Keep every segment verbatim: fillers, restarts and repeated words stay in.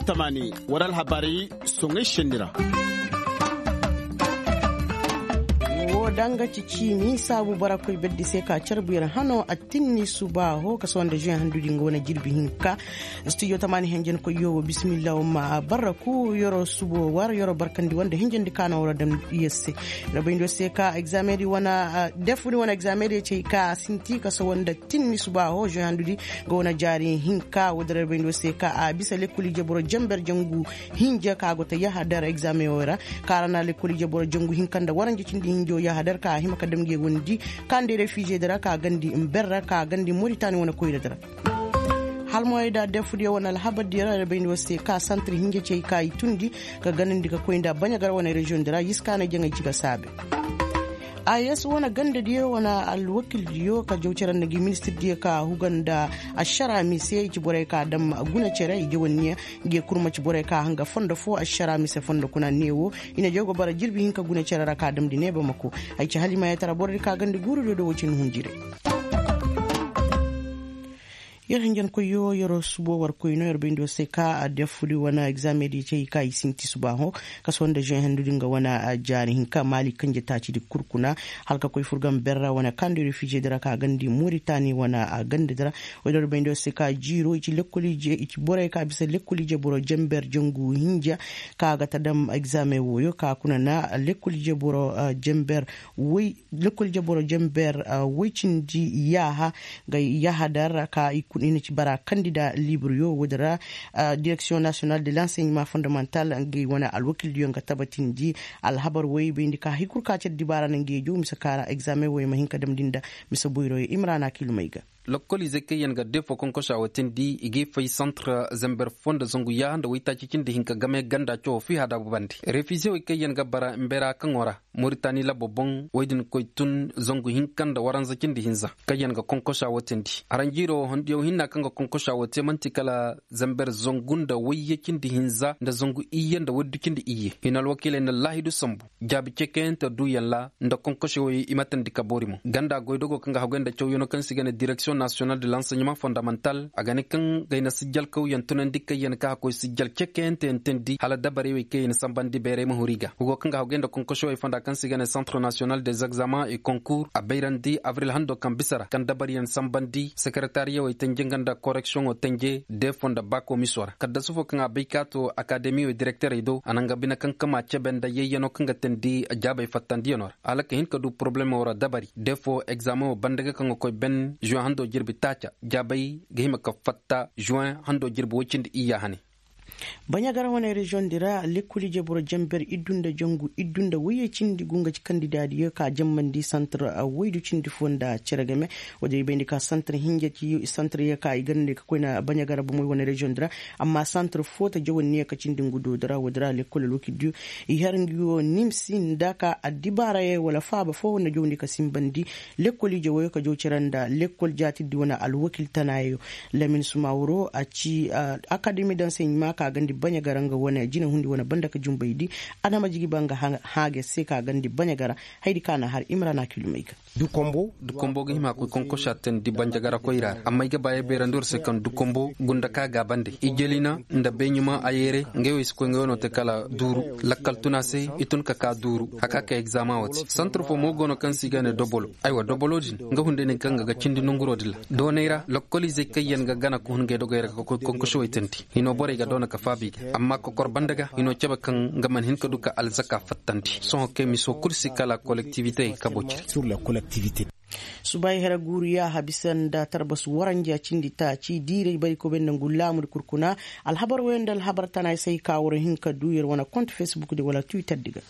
Tamaani war alhabaari soŋay senni ra. Wo danga ci ciini saabu bara koy berdi se ka carbu yer hano a tinni subaaho ka sohõ nda žuweŋ handudi nga wane jirbi hinka. Studio tamaani henjen koy yo wo bismillah wo ma barra ku yoro subo war yoro barkandi wanda hinjandi ka na wara dam yer se. Rabayndi wo se ka examen di wana defudi wana examen di cey ka sinti ka sohõ nda tinni subaaho žuweŋ handudi nga wane jaari hinka wo dira rabayndi wo se ka a bisa lekkol ije boro jamber jangu hinja ka go ta yahadar examen wo ra. Ka ra na lekkol ije boro jangu hinka nda waranja cindi hinjo yahadar ka hima ka dam nge wondi ka nda refize dira ka gandi mber ra ka gandi moritani wane koyra dira. Halmoyey da defudiyo wane alhabar diyo ra bayndi war se ka santir hinja cey ka i tundi ka ganandi ka koy nda baɲagar wane reziyoŋ dira yiskaanay jaŋay ci ga saabe. Ayes wane gandadiyo wane alwakildiyo ka jaw cere nda ngi ministirdiyo ka huga nda ašara mise i ci borey ka dam guna cere i jawanniya. Nge kurma ci borey ka hanga fondo fo ašara mise fondo kuna neewo i na jaw ga bara jirbi hinka guna cere ra ka damndi neeba mako. Ay ci halimayatara borodi ka gandi guurudiyo do wo ci ni hunjire. Yer hinjankoyyo yer subo war koyno yer bayndi war se ka a defudi wane egzamedi cey ka i sinti subaaho. Kaso nda žuwen hendudi nga wane jaari hinka maali kanje taacidi kul kuna. Hala ka koy furgan berra wane kandi refizedi ra ka gandi moritani wane gandedi ra. Woy da yer bayndi war se ka jiiro i ci lekkol ije i ci borey ka bisa lekkol ije boro jenber jangu hinja ka ga ta dam egzamen wooyo ka kuna na lekkol ije boro jenber woy lekkol ije boro jenber woy cindi yaaha ga yahadar ka i kuna i na ci bara kandida liiburyo woodi ra. Direksiyoŋ nasiyonal de lanseɲeman fondamantal nga i wane alwakildiyo nga tabatindi. Alhabar woy bayndi ka hay kul ka cere dibaara na ngeejo mise ka ra egzamen woy ma hin ka damndi nda mise boyroyo imrana kilumey ga. Lokkoliizey kaŋ yaŋ ga defo konkosa wo teendi i g'i fay santre zember fo nda zangu yaaha nda waytaaci cindi hinka game ganda cawo fi hadaabu bande refize wey kaŋ yaŋ ga bara mbera kaŋo ra. Moritani labbo boŋ wey din koy tun zangu hinka nda waranza cindi hinza kaŋ yaŋ ga konkosa wo teendi aranjiiro wo hondiyaŋ hinna kaŋ ga konkosa wo te man'ti kala zember zangu nda wayye cindi hinza nda zangu iyye nda waydu cindi iyye i na alwakiiley nda laahidu sambu. Jaabi cekeyante duuyaŋ ra nda konkosi wey i ma teendi ka boori mo ganda goydogo kaŋ ga haggoy nda cawyaŋo kaŋ se i ga ne direksiyoŋ nasiyonal de lanseɲeman fondamantal a ga ne kaŋ gay na sijjal kawyaŋ tunandi kaŋ yaŋ ka haggoy sijjal cekeyante yaŋ teendi hala dabarey wey kaŋ yaŋ na sambandi bayray ma huru i ga hugo kaŋ ga haggoy nda konkosi wey fonda kaŋ se i ga ne santre nasiyonal des egzamen e konkur a bayrandi abril hando kaŋ bisa ra kaŋ dabari yaŋ sambandi sekeretariyawey tenje nga nda koreksiyoŋo tenje defo nda baako miso ra kaddasu fo kaŋ a bay ka to akademi wey direkterey do a na nga bine kaŋ kama cebe nda yayyaŋo kaŋ ga teendi jaabey fattandiyaŋo ra hala ka hin ka du porobalemo ra dabari defo egzameŋo banda ga kaŋ ga koy ben žuwen hando jirbi taaca jaabey ga hima ka fatta žuwen hando jirbi woy cindi iyya hane. Baɲagara wane reziyoŋ di ra lekkol ije boro jenber iddu nda jangu iddu nda woyye cindi go nga ci kandidaadiyo ka jambandi santre woydu cindi fo nda cere game. Woodi i bayndi ka santre hinja ci santre ye ka i ganda ka koy na baɲagara bomey wane reziyoŋ di ra. Amma santre fo ta jawanniya ka cindi ngu do di ra woodi ra lekkol alwakildiyo i har ngi wo nimsi nda ka addibaarayo wala faaba fo na jawndi ka sinbandi lekkol ije woyo ka jaw cere nda lekkol jaatirdi wane alwakil tanaayo. Lamin sumawuro a ci akademi daŋ se ɲima ka gandi baɲagara nga wane jinahundi wane banda ka junbaydi. Adama jigiba nga haaga se ka gandi baɲagara haydi ka na har imrana kilumey ga. Dukombo ga hima koy konkosa teendi banjagara koyra ra amma ay ga ba ay beerandi war se kaŋ dukombo gunda ka gaabande ijjeli na nda beeɲuma a yeere. Ngey wo i si koy ngey wo no te kala duuru lakkal tun a se i tun ka ka duuru a ka ka egzama wo te santre fo mo go no kaŋ se i ga ne dobolo. Aywa dobolo din nga hunday ne kaŋ ga ga cindi nonguro din ra doonay ra lokkoliizey kaŋ yaŋ ga gana ka hun ngey dogey ra ka koy konkosa wo i teendi. Hino borey ga doona ka faabi i ga amma kokor banda ga hino cebe kaŋ nga mana hin ka du ka alzaka fattandi sohõ kay miso kul si kala kolektivite kabo cire. Suba i hera guuru yaaha bisa nda tarbas waranja cindi taaci diiray bari kobe nda ngu laamudi kul kuna. Alhabar woyo nda alhabar tana ay se ay ka war hin ka du yer wane kont fesbuk di wala twitter di ga.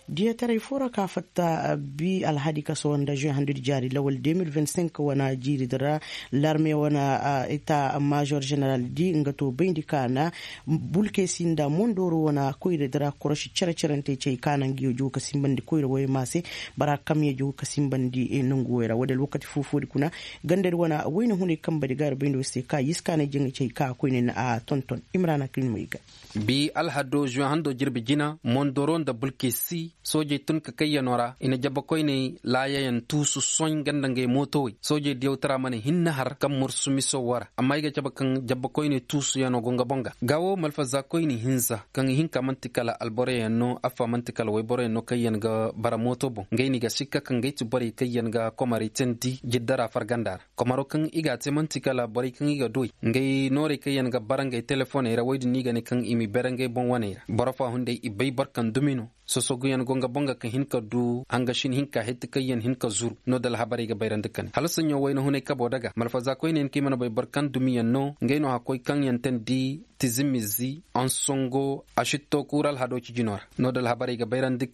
Diyataray fo ra ka fatta bi alhadi kaso nda žuwe handudi jaari lawal deux mille vingt-cinq wane jiiri di ra. Larme wane eta major ženeral di nga to bayndi ka na bulkesi nda mondoro wane koyra di ra koroši cere-cerentey cey ka na ngi yo jogo ka sinbandi koyra woyo ma se. Bara kamye jogo ka sinbandi nongu woyo ra wodey alwakati foo-foodi kuna. Gandadi wane wayna hunay kambadi ga ir bayndi wo se ka yiskaanay jaŋay cey ka koyne na a tonton imrana ka ir ma i ga. Bi alhado žuwe hando jirbi jina mondoro nda bulkesi. Soojey tun ka kayyanoo ra i na jabakoyney laayayaŋ tuusu soy nga nda ngey mootowey soojey diyawtaraa mana hinne har kaŋ mursu miso woo ra amma ay ga cabe kaŋ jabakoyney tuusuyanoo go nga boŋ ga. Gaa woo malfazaakoyni hinza kaŋ i hin ka man'ti kala alboroyaŋ no affa man'ti kala wayboroyaŋ no kaŋ yaŋ ga bara mooto boŋ ngey no i ga sikka kaŋ ngey ti borey kaŋ yaŋ ga komaray teendi jiddaraa fargandaa ra. Komaroo kaŋ i g'a tee man'ti kala borey kaŋ i ga du ey ngey noorey kaŋ yaŋ ga bara ngey telefoney ra woy din no i ga ne kaŋ i m'i bere ngey boŋ waney ra boro foo hunday i bay boro kaŋ dumi no. Sosoguyaŋ go nga boŋ ga ka hin ka du hangasin hinka hetti kaŋ yaŋ hin ka zuru no nda alhabarey ga bayrandi ka ne hala saɲɲo wayna hunay kaboo daga malfazaakoynayaŋ kaŋ i mana bay boro kaŋ dumiyaŋ no ngey no hakkoy kaŋ yaŋ teendi tizimizi ansongo asitto kuura alhadoo cijinoo ra. No nda alhabarey ga bayrandi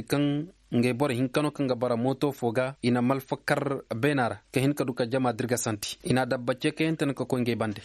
kaŋ ngey boro hinka no kaŋ ga bara mooto foo ga i na malfa kar beenaa ra ka hin ka du ka jama dirgasandi i na adabba ceekayante no ka koy ngey bande.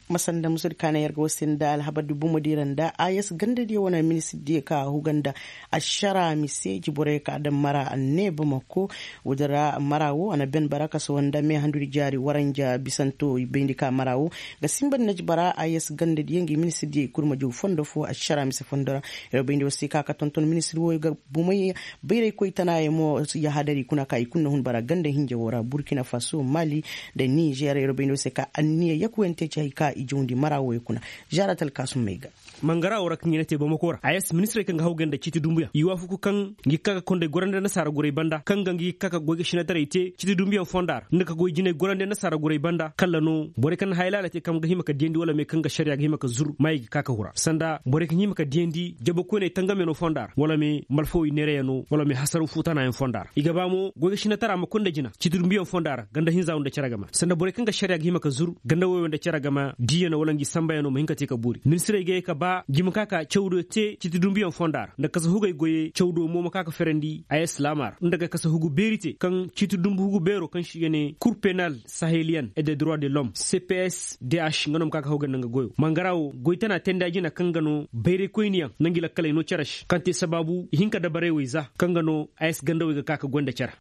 Ma sanda musa di kaana yer ga war se nda alhabar di bomo di ra nda a s ganda diyo wane ministir diyo ka huga nda ašara mise jiborey ka daŋ mara a ne bamako. Woodi ra mara wo a na ben bara kaso nda meehandu di jaari waranja bisanto bayndi ka mara wo ga sinba di na ci bara a s ganda diyo ngi ministir diyo i kul ma jaw fondo fo ašara mise fondo ra. Yer bayndi war se ka ka tonton ministir wo ga bomey bayraykoy tanaayey mo yahadari kuna ka i kul na hun bara ganda hinja wo ra burkina faso mali nda nizer yer bayndi war se ka anniya yakuwante ci hay ka i jawndi mara wo yaŋ kuna. Zaara talkaasum may ga. Mangara wo ra kaŋ i na te bamako ra a s ministirey kaŋ ga hawgay nda ciiti dumbuyaŋ i waafaku kaŋ ngi ka ga konday gorandi annasaara guray banda kaŋ ga ngi ka ga goy ga sinataray te ciiti dumbuyaŋ fonda ra nda ka goy jinay gorandi annasaara guray banda kalla no borey kaŋ na haya laala te kaŋ ga hima ka diyandi wala me kaŋ ga ašariya ga hima ka zur ma i ga ka ka hura sanda borey kaŋ hima ka diyandi jabakoyney tangamyaŋo fonda ra wala me malfawey neerayaŋo wala me hasaraw fuutanayaŋ fonda ra i ga ba mo goy ga sinataraa ma konda jina ciiti dumbuyaŋ fonda ra ganda hinza wo nda cere game sanda borey kaŋ ga ašariya ga hima ka zur ganda woyo nda cere game diiyaŋo wala ngi sambayaŋo ma hin ka te ka boori ministirey ga ye ka ba ngi ma ka ka cawdiyo te ciiti dumbuyaŋ fonda ra nda kasa hugey goyey cawdiyo mo ma ka ka ferandi a s laama ra nda ga kasa hugu beeri te kaŋ ciiti dumbu hugu beeroo kaŋ se i ga ne kur penal saheliyan et de droit de l'homme c p s d h nga no ma ka ka hawgay nda nga goyoo mangara wo goy tana teendi a jina kaŋ ga no bayraykoyniyaŋ nda ngi lakkaley no cere se kaŋ te sabaabu i hin ka dabarey wey za kaŋ ga no a s gandawey ga ka ka goy nda cere.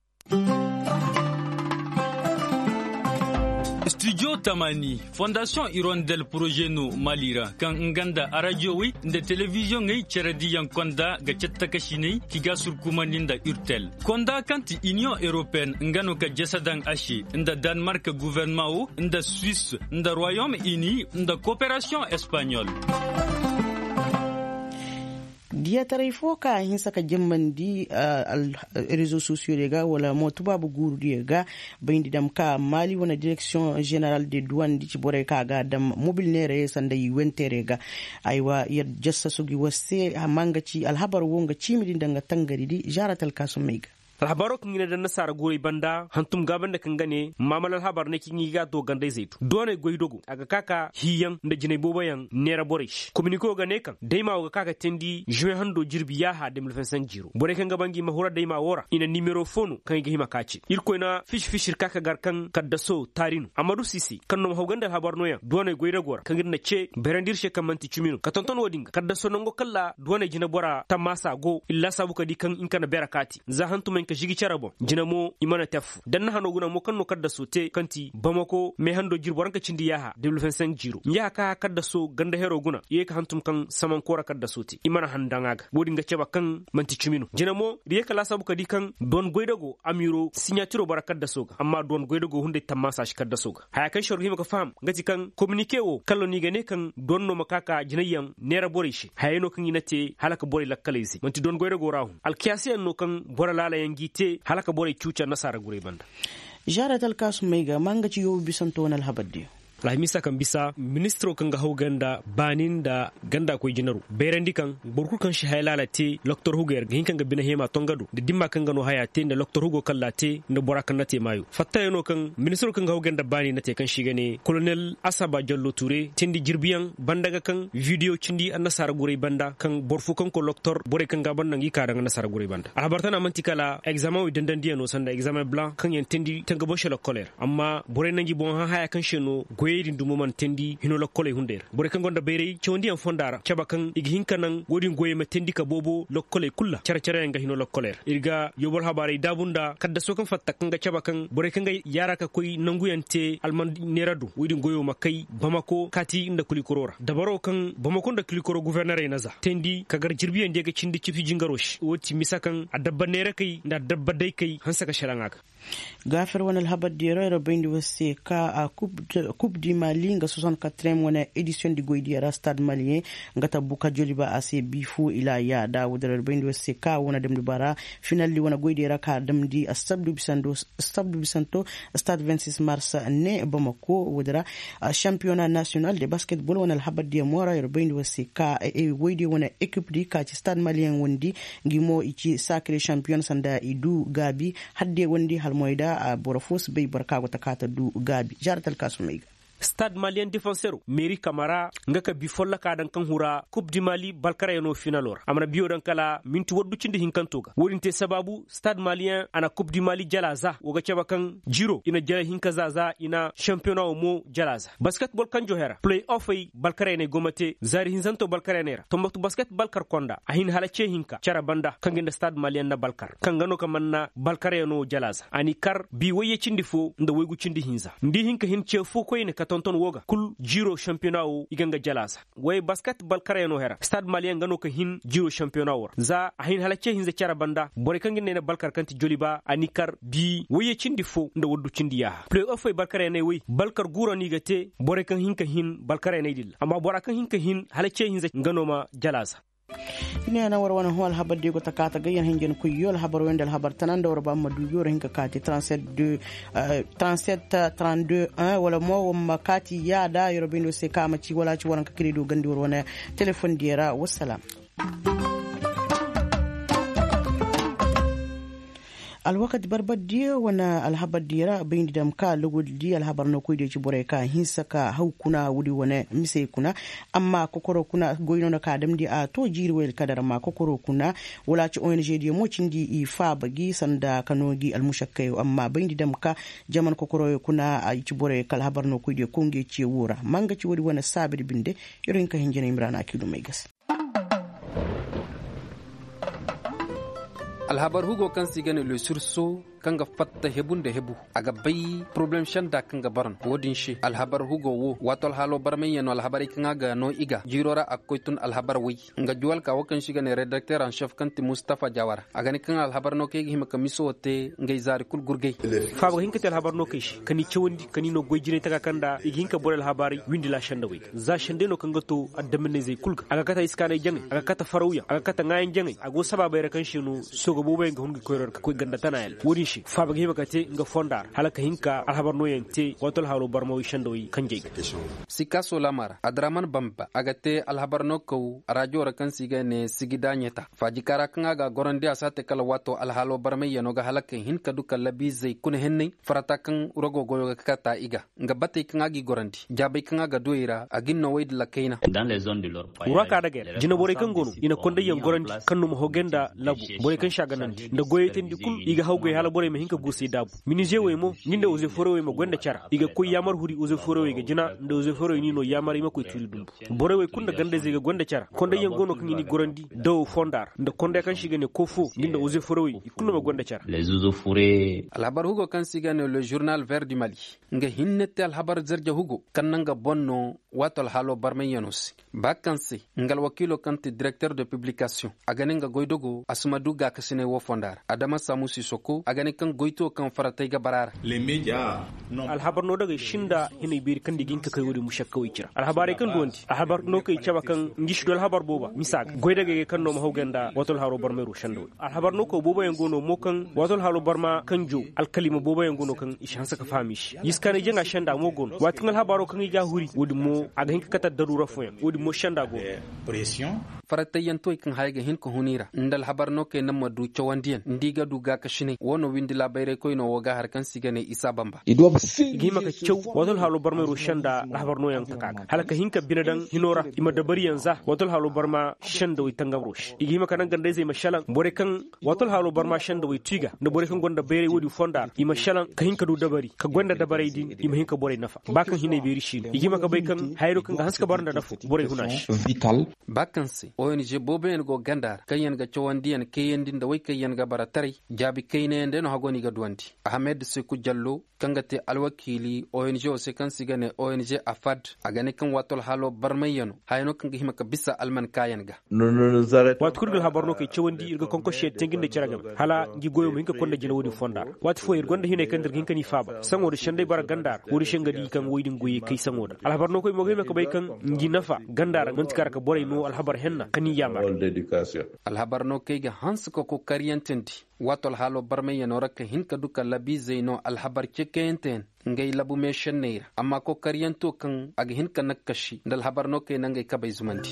Studio tamani fondasiyoŋ irondel poroze no mali ra kaŋ nga nda arajiyowey nda telebiziyoŋey cerediyaŋ konda ga cattakasiney ki ga surkumandi nda urtel konda kaŋ ti iniyoŋ europeyen nga no ka jese daŋ a se nda danmark guverneman wo nda suwis nda royom ini nda koperasiyoŋ espaɲol. Diyataray fo ka a hinsa ka jambandi rezo sosiyo diyo ga wala mo tubaabu guuru diyo ga bayndi dam ka maali wane direksiyoŋ ženeral de duwan di ci borey ka a ga a dam mobil neerey sanda i wenteerey ga. Aywa yer jassasu gi war se amma nga ci alhabar wo nga ciimi di nda nga tangari di zaara talkaasumey ga. Alhabaroo kaŋ i na daŋ nasaara guuray banda hantum gaabandi kaŋ ga ne maamal alhabar ne kaŋ i ga a to gandayzey do dooney goydogo a ga ka ka hiiyaŋ nda jinay booboyaŋ neera borey se kominikoo ga ne kaŋ daymaa wo ga ka ka teendi žuwe hando jirbi yaaha de mil vingt cinq jiiroo borey kaŋ ga ba ngi ma hura daymaa wo ra i na nimero fo no kaŋ i ga hima ka ce irkoy na fisi fisi ir ka ka gar kaŋ kaddasoo taari no amma du si se kaŋ no ma haw ganda alhabar nooyaŋ dooney goydagoo ra kaŋ ir na ce bayrandi ir se kaŋ man'ti cimi no ka tonton wo-din ga kaddasoo nango kaŋ ra dooney jineboraa tammaasa go ir laasaabu ka di kaŋ nga ka na beera kaati za hantumey nga ka žigi cere boŋ jina mo i mana te affoo da ni na hanoo guna mo kaŋ no kaddasoo te kaŋ ti bamako meehando jirbi waranka cindi yaaha de mil vingt cinq jiiroo yaaha kaŋ a kaddasoo ganda heroo guna i ye ka hantum kaŋ samankoora kaddasoo te i mana han daŋ a ga wo-din ga cebe kaŋ man'ti cimi no jina mo ir ye ka laasaabu ka di kaŋ doon goydagoo amiiroo siɲaatiroo bara kaddasoo ga amma doon goydagoo hunday tammaasa si kaddasoo ga haya kaŋ se war ga hima ga faham nga ti kaŋ kominike wo kala no i ga ne kaŋ doon no ma ka ka jinayyaŋ neera borey se hayey no kaŋ i na te hala ka borey lakkaley zay man'ti doon goyra go ra hun alkiyaasiyaŋ no kaŋ boro laalayaŋ g'i te hala ka borey cuuca nasaara guray banda. Žaarat alkaasumey ga ma nga ci yoobu bisanto wane alhabar diyo. Alhamiisa kaŋ bisa ministiroo kaŋ ga haw ganda baani nda ganda koy jinaroo bayrandi kaŋ boro kul kaŋ si haya laala te loktor hugo yer ga hin kaŋ ga bine heema tonga do nda dimma kaŋ ga no haya te nda loktor hugo kaŋ laa te nda bora kaŋ na te maayo fattayaŋo kaŋ ministiroo kaŋ ga haw ganda baani na te kaŋ se i ga ne kolonel asaba jallo ture teendi jirbiyaŋ banda ga kaŋ bidiyo cindi annasaara guray banda kaŋ boro fo kaŋ koy loktor borey kaŋ ga a ban no ngi ka daŋ annasaara guray banda alhabar tana man'ti kala egzaameŋ wey dandandiyaŋo sanda egzaameŋ blanc kaŋ yaŋ teendi tanga boŋ se lokkoley ra amma borey na ngi boŋ hã haya kaŋ se no goy Wey din dumo mana teendi hino lokkoley hunday ra borey kaŋ gonda bayray cawandiyaŋ fonda ra cabe kaŋ i ga hin ka naŋ wo-din goyey ma teendi ka boobo lokkoley kul ra care-careyaŋ ga hino lokkoley ra ir ga yoobo alhabaarey daabu nda kaddaso kaŋ fatta kaŋ ga cabe kaŋ borey kaŋ ga yaara ka koy nanguyaŋ te alman neera do wo-din goyo ma kay bamako kaati nda kulikoro ra dabaro kaŋ bamako nda kulikoro gofornerey na za teendi ka gar jirbiyaŋ diya ga cindi cipsi jingaro se wo ti misa kaŋ adabba neerakey nda adabba daykey hanse ka selaŋ a ga. Gaafir wane alhabar diya ra yer bayndi war se ka kub di mali nga soixante-quatrième wane edisiyoŋ di goy diya ra stade maliyeŋ nga tabbu ka joliba a se bi fo ila yaada woodin ra yer bayndi war se ka wane damndi bara finalli wane goy diya ra ka damndi sabdu bisanto stade vingt-six mars ne bamako woodin ra. Championnat national de basketball wane alhabar diya mo ra yer bayndi war se ka woydiyo wane ekip di ka ci stade maliyeŋ wondi ngi mo i ci sakire champiyoŋ sanda i du gaabi. Hadde wondi hala moy da boro fo si bay boro ka go ta ka ta du gaabi zaara talkaasumey ga. Stade maliyeŋ defansero meeri kamara nga ka bi folloka daŋ kaŋ hura kub di mali balkarayano finalo ra a mana biyo daŋ kala minti waddu cindi hinkanto ga wo-din te sabaabu stade maliyeŋ a na kub di mali jala za wo ga cabe kaŋ jiro i na jala hinka za za i na champiyoŋa wo mo jala za basketbol kanjo hera play offey balkarayaney go ma te zaari hinzanto balkarayaney ra tombatu basket balkar konda a hin hala ce hinka care banda kaŋ ga nda stade maliyeŋ na balkar kaŋ ga no ka man na balkarayano jala za a n'i kar bi wayye cindi fo nda waygu cindi hinza nda i hin ka hin ce fo koyne ka tonton wo ga kul jiiro sanpiyona wo i ga nga jala za way basket balkarayano hera stade maliyeŋ ga no ka hin jiiro sanpiyona wo ra za a hin hala ce hinza care banda borey kaŋ ga nda ay na balkar kaŋ ti joliba a n'i kar bi wayye cindi fo nda waddu cindi yaaha play offey balkarayaney way balkar guuro no i ga te borey kaŋ hin ka hin balkarayaney din ra amma bora kaŋ hin ka hin hala ce hinza nga no ma jala za. Ine na war wane hõ alhabar diyo go ta kaata gayyan hinjin koyyo alhabar wayanda alhabar tana nda war ba ma duubi war hin ka kaati trente-sept trente-deux un wala mo war ma kaati yaada yoro bayndi war se ka a ma ci wala a ci war hin ka kirido gandi war wane telefoŋ diyo ra wassalam. Alwakati barbar diyo wane alhabar diyo ra bayndi dam ka logodi di alhabar no koy diyo ci borey ka hinsa ka haw kuna woodi wane misey kuna. Amma kokoro kuna goy no na ka damndi a to jiiri way alkadar amma kokoro kuna wala a ci ong diyo mo cindi i faaba gi sanda ka no gi almušakkayo amma bayndi dam ka jaman kokoroyo kuna a ci borey ka alhabar no koy diyo konge ciyo wo ra ma nga ci woodi wane saabidi binde. Yer hin ka hinjinay mira na a kiidumey ga se. Alhabar hugo kaŋ se i ga ne le surso kaŋ ga fatta hebu nda hebu a ga bay poroblem senda kaŋ ga bara no wo-din se alhabar hugo wo waato alhaalo barmayyaŋ no alhabarey kaŋ a ga no i ga jiiro ra a ga koy tun alhabar way nga juwalka wo kaŋ se i ga ne redakter en chef kaŋ ti mustafa jawara a ga ne kaŋ alhabar no kaŋ i ga hima ka miso wo te ngey zaari kul gurgay. Faaba ga hin ka te alhabar no kaŋ i se ka ni cawandi ka ni no goy jinay taka kaŋ nda i ga hin ka borey alhabaarey windi laasandawey ga za sendey no kaŋ ga to addaminayzey kul ga a ga kate iskaanay jaŋay a ga kate farawyaŋ a ga kate ŋaayaŋ jaŋay a go sabaabey ra kaŋ se no sooga booboyaŋ ga hun ga koy ra ka koy ganda tanayaŋ wo-din se faaba ga hima ka te nga fonda ra hala ka hin ka alhabar nooyaŋ te waato alhaalo barmawey sendawey kanjey ga. Sikaaso laama ra adraman bamba a ga te alhabar no kaw raajo ra kaŋ se i ga ne sigi daaɲeta faajika ra kaŋ a ga a gorandi a si a te kala waato alhaalo barmayyaŋo ga hala ka hin ka du ka labiizey kuna henney farata kaŋ rogo goyo ga kata i ga nga batey kaŋ a g'i gorandi jaabey kaŋ a ga du i ra a ga ni no wey dila kayna. Wura ka daga yar jineborey kaŋ go no i na kondayyaŋ gorandi kaŋ no ma hogey nda labo borey kaŋ se a ganandi nda goyey teendi kul i ga hawgay hala borey ma hin ka guusey daabu minize wey mo ngi nda ozeforowey ma goy nda cara i ga koy yaamar huri ozeforowey ga jina nda ozeforowey ni no yaamar i ma koy tuuri dumbu borey wey kul nda gandayzey ga goy nda cara kondayyaŋ go no kaŋ i n'i gorandi dawo fonda ra nda konday kaŋ se i ga ne kofo ngi nda ozeforowey i kul no ma goy nda cara. Alhabar hugo kaŋ se i ga ne le journal ver du mali nga hinne te alhabar zerje hugo kaŋ na nga boŋ no waato alhaalo barmayyaŋo se ba kaŋ se nga alwakiilo kaŋ ti direkter de publikasiyoŋ a ga ne nga goydogo a si ma du gaakasinay wo fonda ra adama samusi soko a ga ne kaŋ goytuwo kaŋ faratay ga bara ra. Alhabar no dagey sinda hinay beeri kaŋ nda i ga hin ka kay wo-din mušakkawey ci ra alhabaarey kaŋ duwandi alhabar no kay cabe kaŋ ngi si du alhabar booba misa ga goy dagey ga kaŋ no ma haw ganda waato alhaalo barmayro sendawey alhabar no kaw booboyaŋ go no mo kaŋ waato alhaalo barma kaŋ jo alkalima booboyaŋ go no kaŋ i si hanse ka faham i se yiskaanay jaŋa senda mo go no waati kaŋ alhabaaro kaŋ i ga a huri wo-din mo a ga hin ka kate daruura fooyaŋ wo-din mo senda go no. paratayyantuwey kaŋ haya ga hin ka hun i ra nda alhabar no kay naŋ ma du cawandiyaŋ nda i ga du gaakasinay woo no windi laabayraykoynoo woo ga har kaŋ se i ga ne isa bamba. I ga hima ka caw wato alhaaloo barmayroo se nda alhabar nooyaŋ taka ga hala ka hin ka bine daŋ hinoo ra i ma dabariyaŋ za wato alhaaloo barma se nda way tangamroo se i ga hima ka naŋ ganda-izey ma šelaŋ borey kaŋ wato alhaaloo barma se nda way tu i ga nda borey kaŋ gonda bayray woodin fonda ra i ma šelaŋ ka hin ka du dabari ka goy nda dabaray din i ma hin ka borey nafa ba kaŋ hinay beeri siino i ga hima ka bay kaŋ hayey no kaŋ ga hanse ka bara nda nafo borey huna se. Ba kaŋ se ong booboyaŋ go ganda ra kaŋyaŋ ga cawandiyaŋ kayandi nda way kaŋyaŋ ga bara taray jaabi kaynayaŋ day no hago no i ga duwandi. Ahamed seku jallo kaŋ ga te alwakiili ong woo se kaŋ se i ga ne ong afad a ga ne kaŋ waato alhaaloo barmayyanoo haya no kaŋ ga hima ka bisa almankaayaŋ ga. Waati kul ir ga alhabar no kay cawandi ir ga konkosi yaŋ te nga nda cere game hala ngi goyoo ma hin ka konda jina woodin fonda ra. Waati fooyaŋ ir gonda hinay kaŋ nda ir ga hin ka n'i faaba saŋo nda senday bara ganda ra woodin se nga di kaŋ woy din goyey kay saŋo nda alhabar no koy mo ga hima ka bay kaŋ ngi nafa ganda ra man'ti ka ra ka borey noo alhabar henna ka n'i yaamar. Alhabar no kay ga hanse ka kokariyantandi waato alhaaloo barmayyanoo ra ka hin ka du ka labiizey noo alhabar cekayante yaŋ ngay labu meešenney ra amma kokariyantoo kaŋ a ga hin ka nakkasi nda alhabar no kay na ngay kabey zumandi.